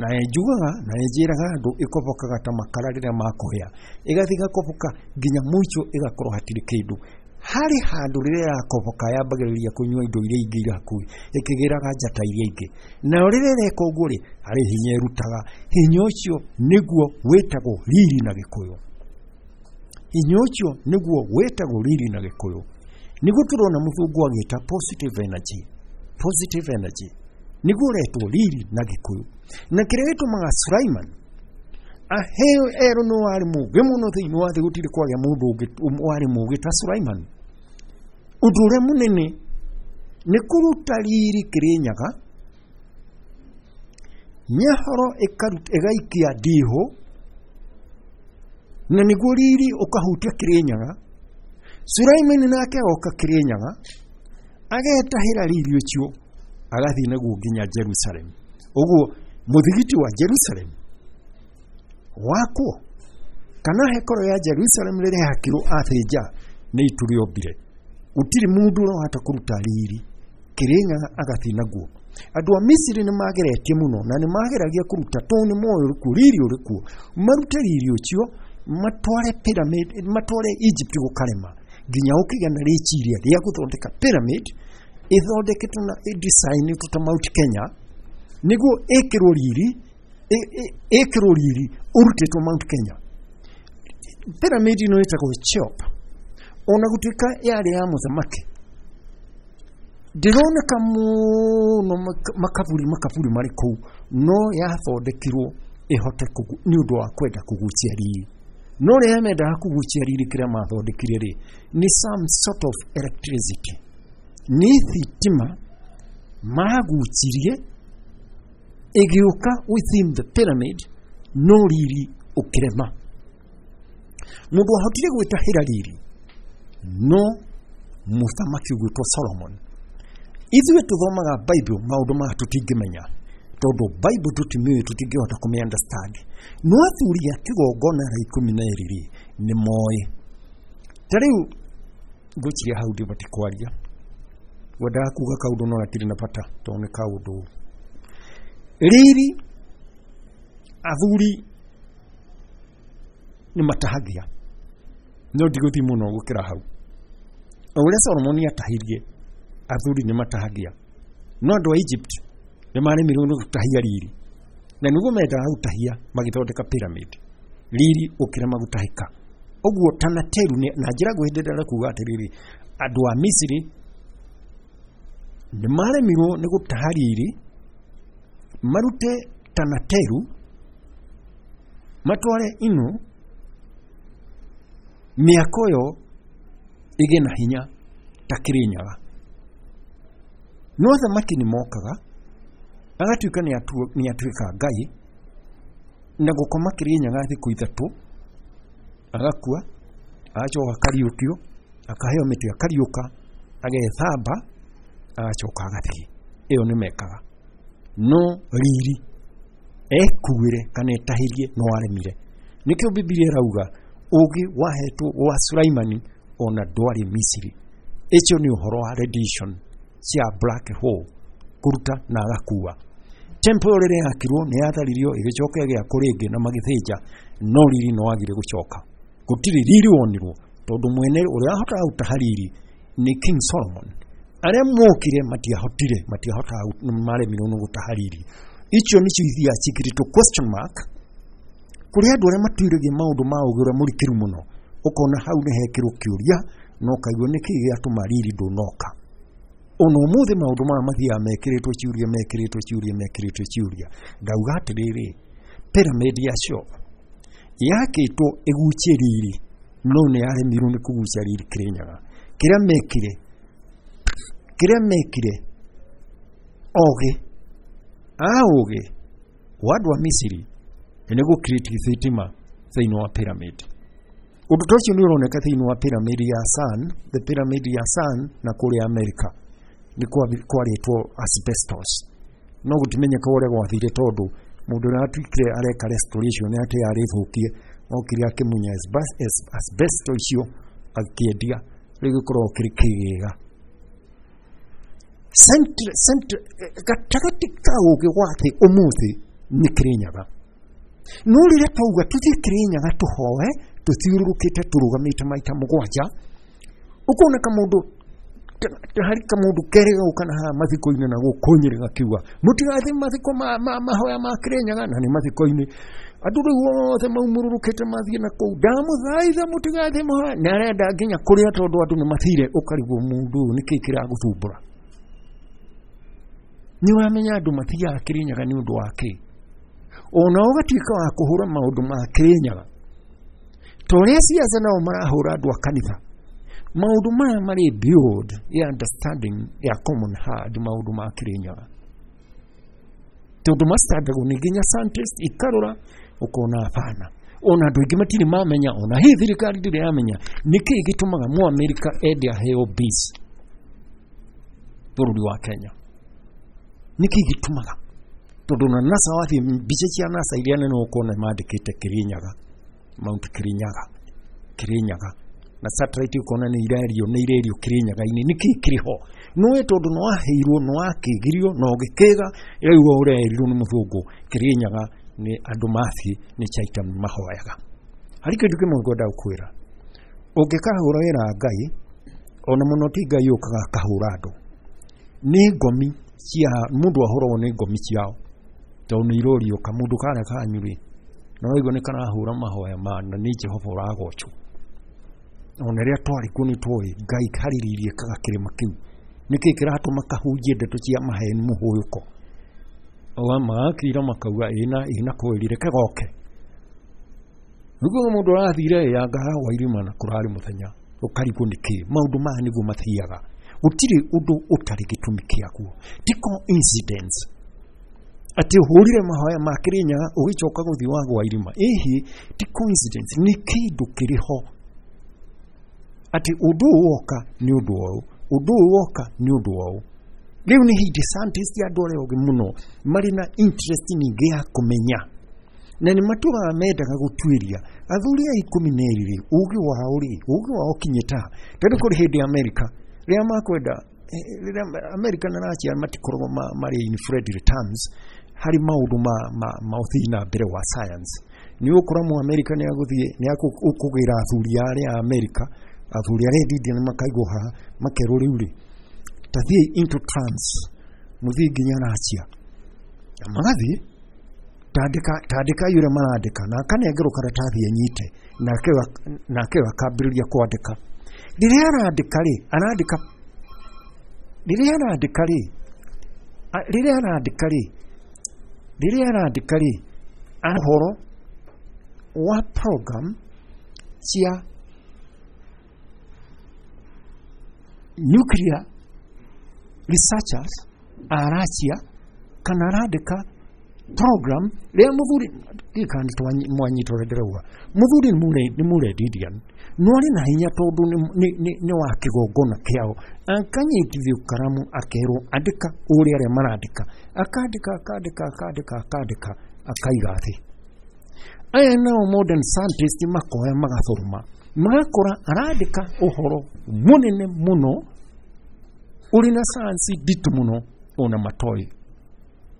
Na njugaga na njĩraga andũ ĩkobokaga ta makara rĩrĩa makũhĩa, ĩgathiĩ ĩgakoboka nginya mũico ĩgakorwo hatirĩ kĩndũ. Harĩ handũ rĩrĩa yakoboka yambagĩrĩria kũnyua indo iria ingĩ irĩ hakuhĩ, ĩkĩgĩraga njata iria ingĩ. Nayo rĩrĩa ĩreka ũguo rĩ, harĩ hinya ĩrutaga. Hinya ũcio nĩguo wĩtagwo riri na Gĩkũyũ. Hinya ũcio nĩguo wĩtagwo riri na Gĩkũyũ. Nĩguo tũrona mũthũngũ agĩta positive energy. Positive energy nĩguo ũretwo riri na Gĩkũyũ. Na kĩrĩa gĩtũmaga Sulaiman aheo erwo nĩ warĩ mũũgĩ mũno thĩinĩ wa thĩ, gũtirĩ kwagĩa mũndũ ũngĩ warĩ mũũgĩ ta Sulaiman. Ũndũ ũrĩa mũnene nĩ kũruta riri Kĩrĩnyaga, Nyahoro ĩgaikia ndihũ, na nĩguo riri ũkahutia Kĩrĩnyaga. Sulaiman nake agoka Kĩrĩnyaga, agetahĩra riri ũcio, agathiĩ naguo nginya Jerusalem. Ũguo mũthigiti wa Jerusalem wakwo, kana hekoro ya Jerusalem rĩrĩa yakirwo athĩnja nĩ itu rĩombire, gũtirĩ mũndũ ũrahota kũruta riri Kĩrĩnyaga agathiĩ naguo. Andũ a Misiri nĩ mageretie mũno, na nĩ mageragia kũruta, tondũ nĩ moĩ ũrĩkuo, riri ũrĩkuo, marute riri ũcio matware pyramid, matware Egypt gũkarema, nginya ũkĩgĩa na rĩciria rĩa gũthondeka pyramid ĩthondeketwo na ĩdesignĩtwo ta Mount Kenya, nĩguo ĩkĩrwo riri, ĩkĩrwo riri ũrutĩtwo Mount Kenya. Pyramid ĩno ĩtagwo Cheops, ona gũtuĩka yarĩ ya mũthamaki Ndĩroneka mũno makaburi makaburi marĩ kũu, no yathondekirwo ĩhote nĩ ũndũ wa kwenda kũgucia riri. No rĩrĩa mendaga kũgucia riri, kĩrĩa mathondekire rĩ nĩ some sort of electricity, nĩ thitima magucirie ĩgĩũka within the pyramid, no riri ũkĩrema. Mũndũ wahotire gwĩtahĩra riri no mũthamaki ũgwĩtwo Solomon. Ithuĩ tũthomaga Bible, maũndũ maya tũtingĩmenya tondũ Bible tũtimĩũĩ, tũtingĩhota kũmĩ understand. No athuri a kĩgongona arĩa 12 rĩ nĩ moĩ. Ta rĩu ngwĩciria hau ndibatiĩ kwaria, ngwendaga kuga kaũndũ no gatirĩ na bata tondũ nĩ kaũndũ riri. Athuri nĩ matahagia, no ndigũthiĩ mũno gũkĩra hau. O ũrĩa Solomoni atahirie, athuri nĩ matahagia, no andũ a Egypt nĩ maremirwo nĩ gũtahia riri, na nĩguo mendaga gũtahia magĩthondeka pyramid, riri ũkĩrema gũtahĩka. Ũguo Tanateru na njĩra nguhĩ ndĩrenda kuga atĩrĩrĩ, andũ a Misiri nĩ maremirwo nĩ gũtaha riri, marute Tanateru matware ino mĩako ĩyo ĩgĩe na hinya ta Kĩrĩnyaga. No athamaki nĩ mokaga agatuĩka nĩ atuĩka ngai, na gũkoma Kĩrĩnyaga thikũ 3, agakua, agacoka akariũkio, akaheo mĩtĩ, akariũka, agethamba, agacoka agathiĩ. Ĩyo nĩ mekaga. No riri ekuĩre kana etahĩrie no aremire. Nĩkĩo Bibilia ĩrauga ũgĩ wahetwo wa Sulaimani ona ndwarĩ Misiri. Icio nĩ ũhoro wa radiation cia black hole kũruta na agakua. Temple rĩrĩa yakirwo nĩ yatharirio, ĩgĩcoka ĩgĩakwo rĩngĩ na magĩthĩnja, no riri no wagire gũcoka. Gũtirĩ riri wonirwo tondũ mwene ũrĩa wahotaga gũtaha riri nĩ King Solomon. Arĩa mokire matiahotire, matiahotaga, maremirwo nĩ gũtaha riri. Icio nĩcio ithiaga ciĩkĩrĩtwo question mark kũrĩ andũ arĩa matuĩragia maũndũ ma ũgĩ ũrĩa mũrikĩru mũno, ũkona hau nĩ hekĩrwo kĩũria na ũkaigua nĩkĩ gĩatũma riri ndũnoka. Ona ũmũthĩ maũndũ maya mathiaga mekĩrĩtwo ciũria, mekĩrĩtwo ciũria, mekĩrĩtwo ciũria. Ngauga atĩrĩrĩ, pyramid ya Shop yakĩtwo ĩgucie riri, no nĩ yaremirwo nĩ kũgucia riri Kĩrĩnyaga. Kĩrĩa mekire ogĩ a ũgĩ wa andũ a Misiri nĩ gũ create thitima thĩinĩ wa pyramid. Ũndũ ta ũcio nĩ ũroneka thĩinĩ wa pyramid ya Sun, the pyramid ya Sun na kũrĩa Amerika nĩ kwarĩtwo asbestos, no gũtimenyeka ũrĩa gwathire tondũ mũndũ ũrĩa atuĩkire areka restoration nĩ atĩ arĩthũkie, okire akĩmunya asbestos icio akĩendia, rĩu gĩkoragwo kĩrĩ kĩgĩga. Gatagatĩ ka ũgĩ wa thĩ ũmũthĩ nĩ Kĩrĩnyaga. No rĩrĩa twauga tũthiĩ Kĩrĩnyaga tũhoe tũthiũrũrũkĩte tũrũgamĩte maita 7, ũkona kamũndũ harĩ kamũndũ kerĩ gauka na haha mathiko-inĩ na gũkũ Nyĩrĩ gakiuga mũtigathiĩ mathiko mahoya ma Kĩrĩnyaga, na nĩ mathiko-inĩ andũ rĩu othe maumũrũrũkĩte mathiĩ na kũu, ndamũthaitha mũtigathiĩ mahoya, na arenda nginya kũrĩa tondũ andũ nĩ mathire. Ũkarigwo mũndũ ũyũ nĩkĩ kĩragũthumbũra. Nĩ ũramenya andũ mathiaga Kĩrĩnyaga nĩ ũndũ wa kĩ? Ona ũgatuĩka wa kũhũra maũndũ ma Kĩrĩnyaga ta ũrĩa ciaca nao marahũra andũ a kanitha. Maũndũ maya marĩ beyond ya understanding ya common heart, maũndũ ma Kĩrĩnyaga tondũ macitandagwo nĩ nginya scientist ikarora ũkona hapana. Ona andũ aingĩ matirĩ mamenya, ona hii thirikari ndĩrĩ yamenya nĩkĩ gĩtũmaga Mũamerika ende aheo base bũrũri wa Kenya. Nĩkĩ gĩtũmaga? Tondũ na NASA wathiĩ mbica cia NASA iria nene ũkona mandĩkĩte Kĩrĩnyaga, Mount Kĩrĩnyaga, Kĩrĩnyaga, na satellite ũkona nĩ irerio, nĩ irerio Kĩrĩnyaga-inĩ. Nĩkĩ kĩrĩ ho? Nĩwe tondũ nĩ waheirwo, nĩ wakĩgirio na ũgĩkĩga, rĩu ũrerirwo nĩ mũthũngũ Kĩrĩnyaga nĩ andũ mathiĩ nĩ Chaita mahoyaga. Harĩ kĩndũ kĩmwe ngwenda gũkwĩra, ũngĩkahũra wĩra Ngai, ona mũno ti Ngai ũkaga akahũra andũ, nĩ ngomi cia mũndũ ahũragwo nĩ ngomi ciao tondũ nĩ iroriũka. Mũndũ karĩa kanyu rĩ, na waigua nĩ karahũra mahoya ma na nĩ Jehova ũragocwo. Ona rĩrĩa twarĩ kuo nĩ twoĩ Ngai harĩ riri ĩkaga kĩrĩma kĩu. Nĩkĩ kĩratũma kahunjie ndeto cia maheni mũhũyũko? Magakira makauga ĩna ĩna kweli, reke goke. Nĩguo mũndũ arathire anga wa irima na kũrarĩ mũthenya, ũkarigwo nĩkĩ maũndũ maya nĩguo mathiaga. Gũtirĩ ũndũ ũtarĩ gĩtũmi kĩaguo, ti coincidence atĩ ũhũrire mahoya ma Kĩrĩnyaga ũgĩcoka gũthiĩ wagwa irima. Ĩhĩ, ti coincidence, nĩ kĩndũ kĩrĩ ho atĩ ũndũ ũyũ woka nĩ ũndũ ũyũ, ũndũ ũyũ woka nĩ ũndũ ũyũ. Rĩu nĩ hĩndĩ scientist andũ arĩa ogĩ mũno marĩ na interest nyingĩ ya kũmenya, na nĩ matũraga mendaga gũtuĩria athuri a 12 rĩ, ũgĩ wao rĩ, ũgĩ wao ũkinyĩte ha? Tondũ kũrĩ hĩndĩ Amerika rĩrĩa makwenda, rĩrĩa Amerika na Russia matikoragwo marĩ in friendly terms harĩ maũndũ ma ũthii na mbere wa science. Nĩ ũgũkora mu Amerika nĩ agũthiĩ nĩ akũgĩra athuri arĩa a Amerika, athuri arĩa India nĩ makaigwo haha makerwo rĩu rĩ, ta thiĩ into trance, mũthiĩ nginya Russia, na magathiĩ tandĩkai ũrĩa marandĩka, na akanengerwo karatathi anyite, nake akambĩrĩria kwandĩka. Rĩrĩa arandĩka rĩ, arandĩka rĩrĩa arandĩka rĩ, rĩrĩa arandĩka rĩ, rĩrĩa arandĩka rĩ, ũhoro wa program cia nuclear researchers a Russia, kana arandĩka program rĩrĩa mũthuri ndikana mwanyita ũrĩa ndĩrauga, mũthuri nĩ mũrendi Indian, no arĩ na hinya tondũ nĩ wa kĩgongona kĩao, akanyitithio karamu akerwo andĩka ũrĩa arĩa marandĩka, akandĩka akandĩka akandĩka akandĩka akaiga thĩ. Aya nao modern scientist makoya magathoma magakora arandĩka ũhoro mũnene mũno ũrĩ na science nditũ mũno ona matoĩ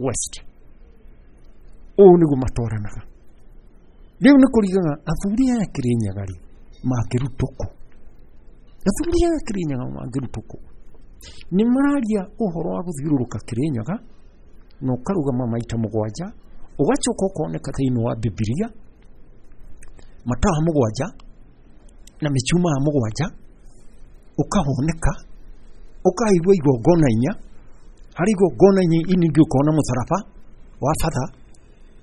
west. Ũũ nĩguo matwaranaga. Rĩu nĩ kũrigaga athuri aya Kĩrĩnyaga rĩ mangĩrutwo kũ? Athuri aya Kĩrĩnyaga mangĩrutwo kũ? Nĩ mararia ũhoro wa gũthiũrũrũka Kĩrĩnyaga na ũkarũgama maita 7, ũgacoka ũkoneka thĩinĩ wa Bibilia matawa 7 na mĩcumaa 7, ũkahoneka ũkaigua igongona 4, harĩ igongona 4 ingĩ ũkona mũtharaba wa batha,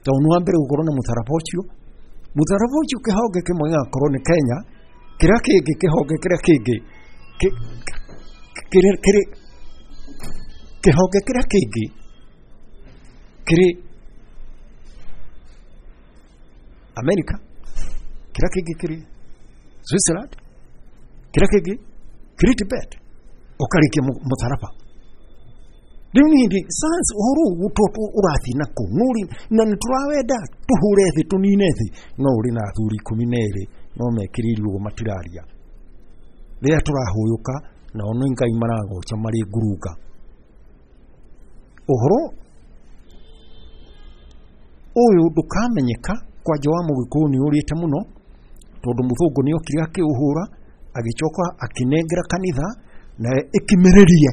tondũ nĩ wa mbere gũkorwo na mũtharaba ũcio. Mũtharaba ũcio kĩhonge kĩmwe gĩgakorwo nĩ Kenya, kĩrĩa kĩngĩ kĩhonge kĩrĩa kĩngĩ kĩhonge kĩrĩa kĩngĩ kĩrĩ Amerika, kĩrĩa kĩngĩ kĩrĩ Switzerland, kĩrĩa kĩngĩ kĩrĩ Tibet, ũkarĩkia mũtharaba. Rĩu nĩ hĩndĩ science ũhoro ũyũ ũrathiĩ na kũ, na nĩ tũrawenda tũhũre thĩ tũnine thĩ, no ũrĩ na athuri 12 no mekĩrĩirwo ũguo matiraria. Rĩrĩa tũrahũyũka nao nĩ Ngai maragoca marĩ ngurunga. Ũhoro ũyũ ndũkamenyeka kwanja wa mũgĩkũyũ nĩ ũrĩte mũno, tondũ mũthũngũ nĩ okire akĩũhũra agĩcoka akĩnengera kanitha na ĩkimĩrĩrie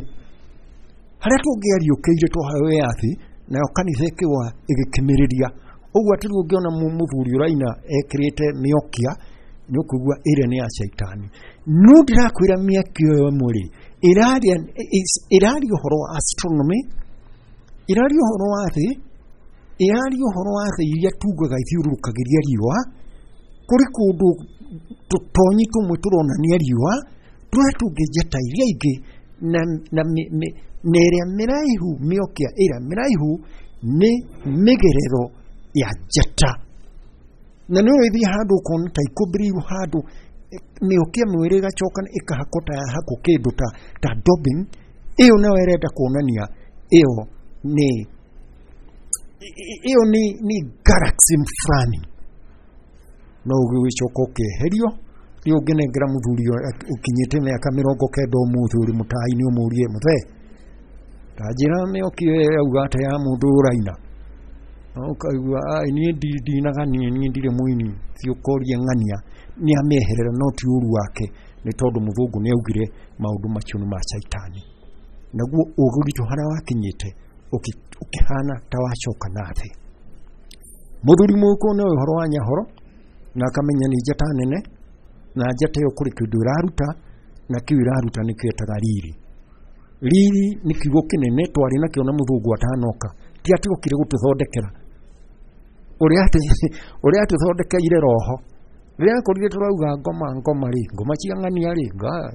harĩa tũngĩariũkĩire twaheo wĩyathi, nayo kanitha ĩkĩgwa ĩgĩkimĩrĩria. Ũguo atĩ rĩu ũngĩona mũthuri ũraina ekĩrĩte mĩokia nĩ ũkũigua ĩrĩa nĩ ya caitani. No ndĩrakwĩra mĩaki ĩyo ĩmwe rĩ, ĩraria ũhoro wa astronomy, ĩraria ũhoro wa thĩ, ĩraria ũhoro wa thĩ iria tungaga ithiũrũrũkagĩria riũa, kũrĩ kũndũ tũtonyi tũmwe tũronania riũa, tũrĩa tũngĩ njata iria ingĩ, na ĩrĩa mĩraihu, mĩokia ĩrĩa mĩraihu nĩ mĩgerero ya njata. Na nĩ ũgĩthiĩ handũ ũkona ta ikũmbĩrĩirwo handũ mĩokia mwĩrĩ ĩgacoka ĩkahakwo ta yahakwo kĩndũ ta dubbing, ĩyo nayo ĩrenda kuonania ĩyo nĩ ĩyo nĩ galaxy fulani. No ũgĩcoka ũkeherio. Rĩu ũngĩnengera mũthuri ũkinyĩte mĩaka 90 ũmũthĩ ũrĩ mũtai-inĩ ũmũrie, mũthee, ta njĩra mĩoki ĩyo yauga atĩa ya mũndũ ũraina, ũkaigua niĩ ndinaga, niĩ ndirĩ mũini, thiĩ ũkorie ng'ania. Nĩ amĩeherera, no ti ũru wake, nĩ tondũ mũthũngũ nĩ augire maũndũ macio nĩ ma caitani. Naguo ũgĩ witũ harĩa wakinyĩte ũkĩhana ta wacoka na thĩ. Mũthuri mũgĩkũyũ nĩ ũhoro wa nyahoro na akamenya nĩ njata nene, na njata ĩyo kũrĩ kĩndũ ĩraruta, na kĩu ĩraruta nĩkĩo ĩtaga riri. Riri nĩ kiugo kĩnene twarĩ nakĩo na mũthũngũ atanoka, ti atĩ okire gũtũthondekera ũrĩa atũthondekeire roho. Rĩrĩa akorire tũrauga ngoma ngoma rĩ, ngoma cia ng'ania rĩ,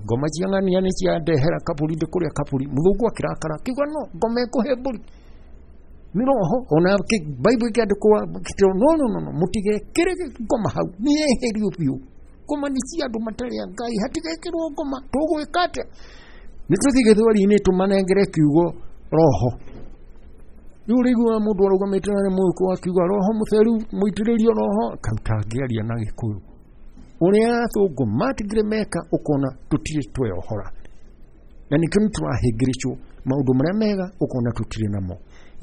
ngoma cia ng'ania nĩ ciandehera kaburi, ndĩkũrĩa kaburi. Mũthũngũ akĩrakara akiuga no ngoma ĩkũhe mbũri nĩ roho. Ona Bible ĩkĩandĩkwo no no no no, mũtigekĩre ngoma hau, nĩ yeherio biũ. Ngoma nĩ cia andũ matarĩ a Ngai, hatigekĩrwo ngoma. Tũgwĩka atĩa? Nĩ tũthiĩ gĩthweri-inĩ tũmanengere kiugo roho. Rĩu ũrĩiguaga mũndũ arũgamĩte na mũhuko akiuga roho mũtheru, mũitĩrĩrio roho, kau tangĩaria na Gĩkũyũ. Ũrĩa athũngũ matigire meka, ũkona tũtirĩ tweohora, na nĩkĩo nĩ tũrahĩngĩrĩcwo maũndũ marĩa mega, ũkona tũtirĩ namo.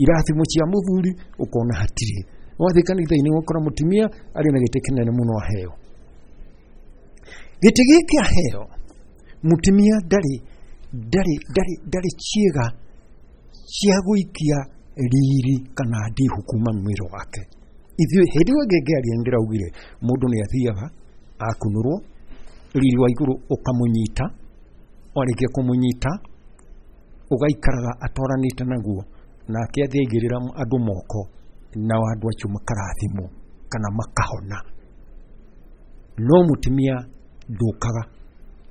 Irathimo cia mũthuri ũkona hatirĩ. Wathiĩ kanitha-inĩ ũgakora mũtumia arĩ na gĩtĩ kĩnene mũno aheo. Gĩtĩ gĩkĩ aheo mũtumia ndarĩ ndarĩ ndarĩ ndarĩ ciĩga cia gũikia riri kana ndihu kuma mwĩrĩ wake. Ithuĩ hĩndĩ ĩyo ĩngĩ ngĩaria nĩndĩraugire mũndũ nĩ athiaga akunũrwo, riri wa igũrũ ũkamũnyita, warĩkia kũmũnyita ũgaikaraga atwaranĩte naguo, nake athiĩ aigĩrĩra andũ moko, nao andũ acio makarathimwo kana makahona. No mũtumia ndũkaga,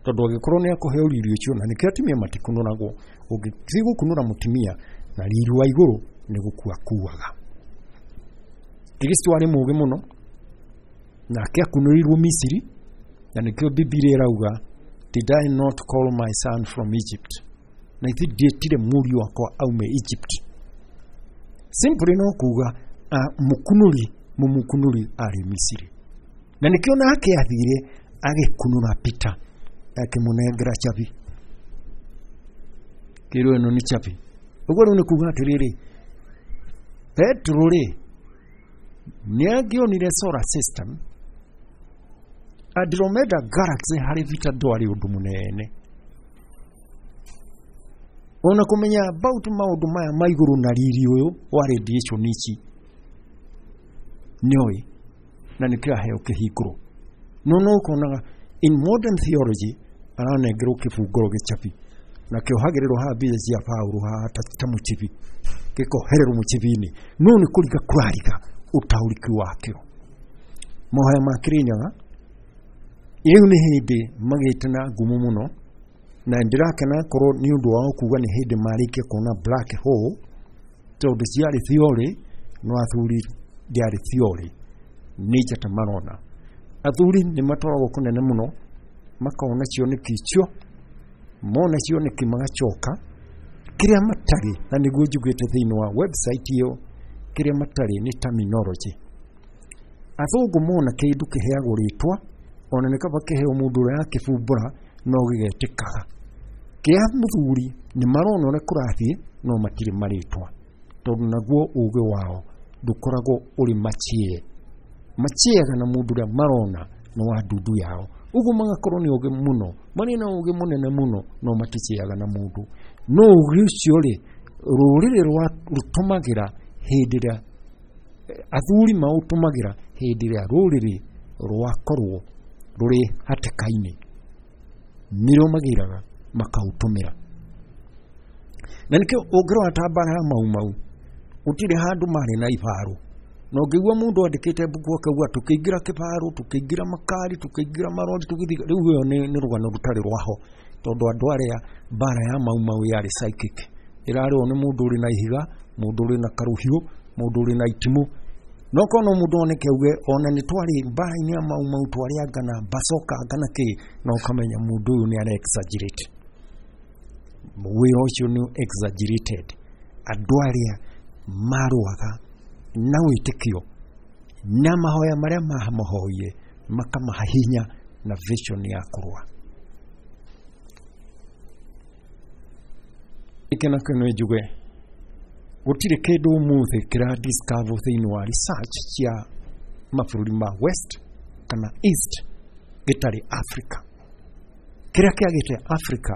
tondũ angĩkorwo nĩ akũheo riri ũcio, na nĩkĩo atumia matikunũragwo. Ũngĩthiĩ gũkunũra mũtumia na riri wa igũrũ nĩ gũkua akuaga. Kristo arĩ mũũgĩ mũno, nake akunũrirwo Misiri, na nĩkĩo Bibilia ĩrauga did I not call my son from Egypt, na ithuĩ ndiĩtire mũriũ wakwa aume Egypt. Simply no kuga mũkunũri mũmũkunũri arĩ Misiri, na nĩkĩo nake athire agĩkunũra Peter akĩmũnengera chabi, kĩrwo ĩno nĩ chabi. Ũguo rĩu nĩ kuga atĩrĩrĩ, Petro rĩ nĩ angĩonire solar system Andromeda galaxy harĩ Peter ndwarĩ ũndũ mũnene. Ona kũmenya about maũndũ maya ma igũrũ na riri ũyũ wa radiation ici nĩoĩ, na nĩkĩo aheo kĩhingũro. No no ũkonaga in modern theology aranengerwo kĩbungũro gĩchabi, na kĩohagĩrĩrwo haha mbia cia Paũlũ haha ta mũchibi, gĩkohererwo mũchibi-inĩ, no nĩ kũriga kũrariga ũtaũriki wakĩo. Mahoya ma Kĩrĩnyaga rĩu nĩ hĩndĩ magĩte na ngumo mũno, na ndĩrakena korwo nĩ ũndũ wao kuga nĩ hĩndĩ marĩkia kuona black hole, tondũ ciarĩ theory no athuri ndĩarĩ theory, nĩ njata marona. Athuri nĩ matwaragwo kũnene mũno, makona cioneki icio, mona cioneki magacoka kĩrĩa matarĩ, na nĩguo njugĩte thĩinĩ wa website ĩyo, kĩrĩa matarĩ nĩ terminology. Athũngũ mona kĩndũ kĩheagwo rĩtwa, ona nĩ kaba kĩheo mũndũ ũrĩa akĩbumbũra no gĩgetĩkaga. Kĩa mũthuri nĩ marona ũrĩa kũrathiĩ no matirĩ marĩtwa, tondũ naguo ũgĩ wao ndũkoragwo ũrĩ machie. Machiaga na mũndũ ũrĩa marona nĩ wa ndundu yao, ũguo magakorwo nĩ ũgĩ mũno, marĩ na ũgĩ mũnene mũno, no maticeaga na mũndũ. No ũgĩ ũcio rĩ, rũrĩrĩ rwa rũtũmagĩra hĩndĩ ĩrĩa athuri maũtũmagĩra hĩndĩ ĩrĩa rũrĩrĩ rwakorwo rũrĩ hatĩka-inĩ, nĩrĩo magĩraga makaũtũmĩra. Na nĩkĩo ũngĩrora ta mbara ya Mau Mau, gũtirĩ handũ marĩ na ibaro, na ũngĩigua mũndũ andĩkĩte mbuku akauga tũkĩingĩra kĩbaro, tũkĩingĩra makari, tũkĩingĩra marori, tũgĩthiĩ, rĩu ĩyo nĩ rũgano rũtarĩ rwaho, tondũ andũ arĩa mbara ya Mau Mau yarĩ psychic, ĩrarĩo nĩ mũndũ ũrĩ na ihiga, mũndũ ũrĩ na karũhiũ, mũndũ ũrĩ na itimũ. No korwo no mũndũ oneke auge ona nĩ twarĩ mbara-inĩ ya Mau Mau, twarĩ anga na bacoka anga na kĩ, na ũkamenya mũndũ ũyũ nĩ ara exaggerate. Wĩra ũcio nĩ exaggerated. Andũ arĩa marũaga na wĩtĩkio na mahoya marĩa mahoire makamaha hinya na vision ya kũrũa. Gĩkĩ nakĩo nĩ njuge gũtirĩ kĩndũ ũmũthĩ kĩra discover thĩinĩ wa research cia mabũrũri ma West kana East gĩtarĩ Africa. Kĩrĩa kĩagĩte Africa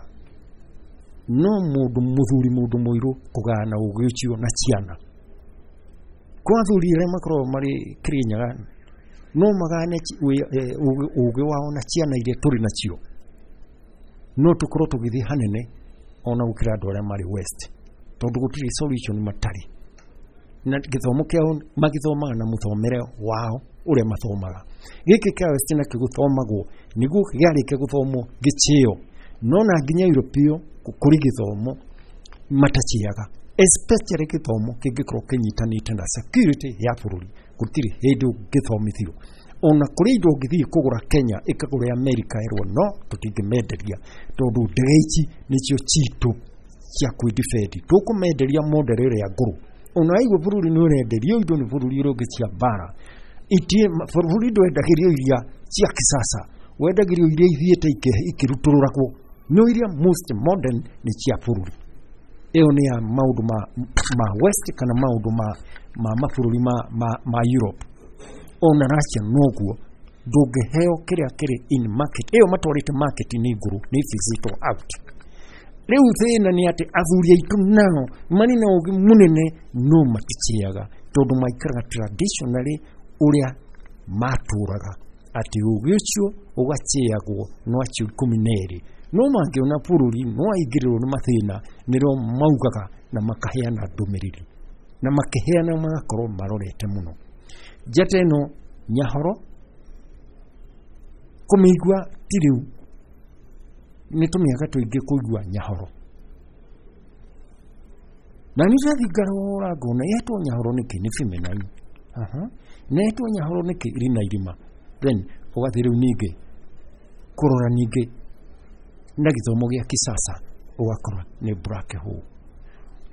no mũndũ mũthuri, mũndũ mũirũ kũgayana ũgĩ ũcio na ciana. Kwa athuri arĩa makoragwo marĩ Kĩrĩnyaga no magayane ũgĩ wao na ciana iria tũrĩ nacio, no tũkorwo tũgĩthiĩ hanene ona gũkĩra andũ arĩa marĩ west, tondũ gũtirĩ solution matarĩ na gĩthomo kĩao magĩthomaga na mũthomere wao ũrĩa mathomaga. Gĩkĩ kĩa west nakĩo gũthomagwo nĩguo gĩarĩkia gũthomwo gĩchĩo, no na nginya Europe ĩyo kũrĩ gĩthomo mataciaga, especially gĩthomo kĩngĩkorwo kĩnyitanĩte na security ya bũrũri. Gũtirĩ hĩndĩ ũngĩthomithio ona kũrĩ indo ũngĩthiĩ kũgũra Kenya ĩkagũra America ĩrwo no tũtingĩmenderia tondũ ndege ici nĩcio citũ cia kwĩdefend, tũkũmenderia model ĩrĩa ngũrũ. Ona waigua bũrũri nĩ ũrenderio indo nĩ bũrũri ũrĩa ũngĩ cia mbara, bũrũri ndwendagĩrio iria cia kisasa, wendagĩrio iria ithiĩte ikĩrutũrũragwo, no iria most modern nĩ cia bũrũri. Ĩyo nĩ ya maũndũ ma west kana maũndũ ma mabũrũri ma Europe. Ona Russia noguo, ndũngĩheo kĩrĩa kĩrĩ in market, ĩyo matwarĩte market nĩ ngũrũ, nĩ physical out. Rĩu thĩna nĩ atĩ athuri aitũ nao marĩ na ũgĩ mũnene no matichĩaga, tondũ maikaraga traditionally ũrĩa matũraga, atĩ ũgĩ ũcio ũgachĩagwo no acio 12. No mangĩona bũrũri no aingĩrĩrwo nĩ mathĩna, nĩrĩo maugaga na makaheana ndũmĩrĩri, na makĩheana magakorwo marorete mũno. Njata ĩno Nyahoro kũmĩigua ti rĩu, nĩ tũmĩaka tũingĩ kũigua Nyahoro, na nĩ ndathiĩ ngarora ngona yetwo Nyahoro nĩkĩ, nĩ feminine, na yetwo Nyahoro nĩkĩ, ĩrĩ na irima. Then ũgathiĩ rĩu ningĩ kũrora ningĩ na gĩthomo gĩa kisasa ũgakora nĩ black hole.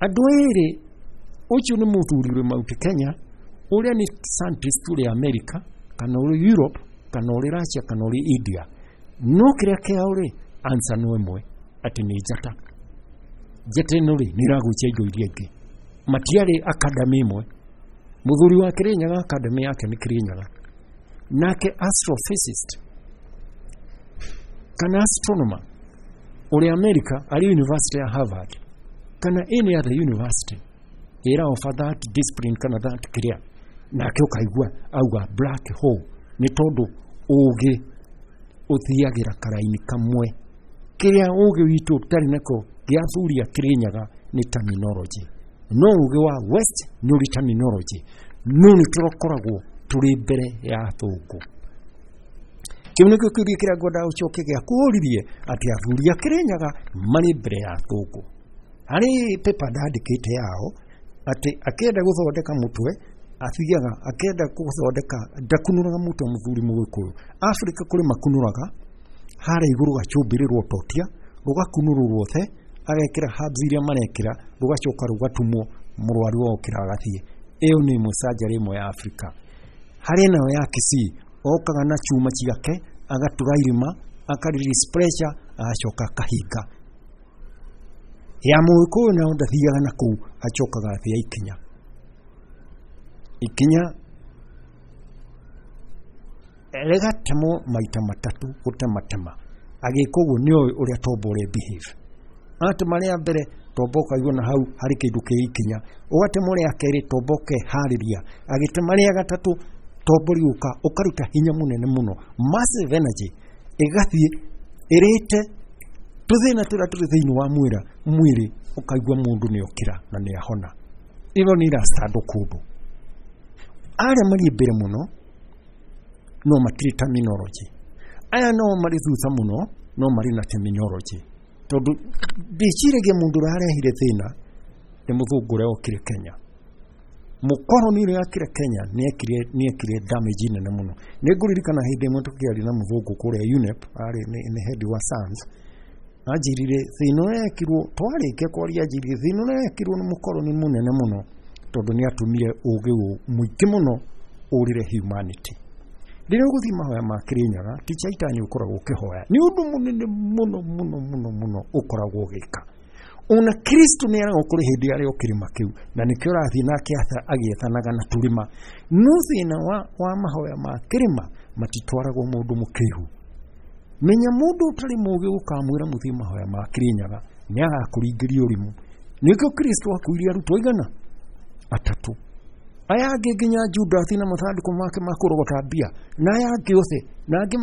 Andũ erĩ, ũcio nĩ mũthuri ũrĩ Mount Kenya, ũrĩa nĩ scientist ũrĩ America kana ũrĩ Europe kana ũrĩ Russia kana ũrĩ India, no kĩrĩa kĩao rĩ answer no ĩmwe, atĩ nĩ njata. Njata ĩno rĩ nĩ ĩragucia indo iria ingĩ. Matiarĩ academy ĩmwe. Mũthuri wa Kĩrĩnyaga academy yake nĩ Kĩrĩnyaga, nake astrophysicist kana astronomer ũrĩa America arĩ University ya Harvard kana any other university ĩra offer that discipline kana that kĩrĩa, nake ũkaigua auga black hole, nĩ tondũ ũgĩ ũthiagĩra karaini kamwe. Kĩrĩa ũgĩ witũ ũtarĩ nako gĩa athuri a Kĩrĩnyaga nĩ terminology, no ũgĩ wa west nĩ ũrĩ terminology, no nĩ tũrakoragwo tũrĩ mbere ya athũngũ. Kĩu nĩkĩo kĩũria kĩrĩa ngwendaga ũcoke gĩa kũũririe, atĩ athuri a Kĩrĩnyaga marĩ mbere ya athũngũ. Harĩ paper ndandĩkĩte yao atĩ akĩenda gũthondeka mũtwe athiaga, akĩenda gũthondeka ndakunũraga mũtwe mũthuri mũgĩkũyũ. Afrika kũrĩ makunũraga harĩa igũrũ gacumbĩrĩrwo totia, rũgakunũrwo ruothe, agekĩra herbs iria marekĩra, rũgacoka rũgatumwo, mũrwaru okĩra agathiĩ. Ĩyo nĩ ĩmwe surgery ĩmwe ya Afrika. Harĩ nayo ya Kisii, okaga na chuma ciake, agatura irima, aka release pressure, agacoka akahinga. Ya mũgĩkũyũ nayo ndathiaga na kũu, acokaga athĩa ikinya. Ikinya rĩgatemwo maita matatũ gũtematema. Agĩka ũguo nĩ oĩ ũrĩa tombo ũrĩa behave. Atema rĩa mbere tombo ũkaigua na hau harĩ kĩndũ kĩ ikinya, ũgatema rĩa kerĩ tombo ũkeharĩria, agĩtema rĩa gatatũ tombo rĩũka ũkaruta hinya mũnene mũno, massive energy ĩgathiĩ ĩrĩte tũthĩna tũrĩa tũrĩ thĩinĩ wa mwĩrĩ, ũkaigua mũndũ nĩ okĩra na nĩ ahona. Ĩyo nĩ ĩracandwo kũndũ. Arĩa marĩ mbere mũno no matirĩ terminology, aya no marĩ thutha mũno no marĩ na terminology, tondũ ndĩciragia mũndũ ũrĩa arehire thĩna nĩ mũthũngũ ũrĩa okire Kenya. Mũkoroni ũrĩa okire Kenya nĩekire damage nene mũno. Nĩ ngũririkana hĩndĩ ĩmwe tũkĩaria na mũthũngũ kũrĩa UNEP, arĩ nĩ head wa science, anjĩrire thĩna ũrĩa ekirwo, twarĩkia kwaria anjĩrire thĩna ũrĩa ekirwo nĩ mũkoroni mũnene mũno, tondũ nĩ atũmire ũgĩ mũingĩ mũno ũrĩre humanity. Rĩrĩa ũgũthiĩ mahoya ma Kĩrĩnyaga, ti caitani ũkoragwo ũkĩhoya, nĩ ũndũ mũnene mũno mũno mũno mũno ũkoragwo ũgĩka. Ona Kristo nĩ aragwo kũrĩ hĩndĩ arĩ o kĩrĩma kĩu, na nĩkĩo ũrathiĩ nake agĩethanaga na tũrĩma. No thĩna wa mahoya ma kĩrĩma matitwaragwo mũndũ mũkĩhu. Menya mũndũ ũtarĩ mũgĩ ũkamwĩra mũthiĩ mahoya ma Kĩrĩnyaga, nĩ agakũringĩria ũrimũ. Nĩkĩo Kristo akuire arutwo aigana? Atatũ. Aya angĩ nginya Judasi na mathandũkũ make ma kũrogota mbia, na aya angĩ othe, na angĩ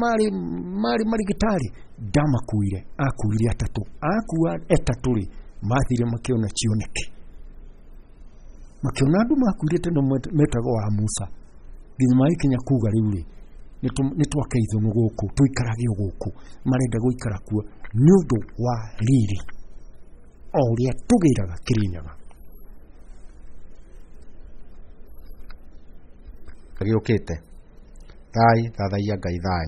marĩ marigitari, ndamakuire, akuire atatũ. Akua atatũ rĩ, Mathire makĩona cioneki, makĩona andũ makuire tene metagwo wa Musa, nginya magĩkinya kuga rĩu rĩ, nĩ twake ithũnũ gũkũ, tũikarage o gũkũ. Marenda gũikara kuo nĩ ũndũ wa riri o ũrĩa tũgĩraga Kĩrĩnyaga. Gĩũkĩte. Thai, thathaiya Ngai thai.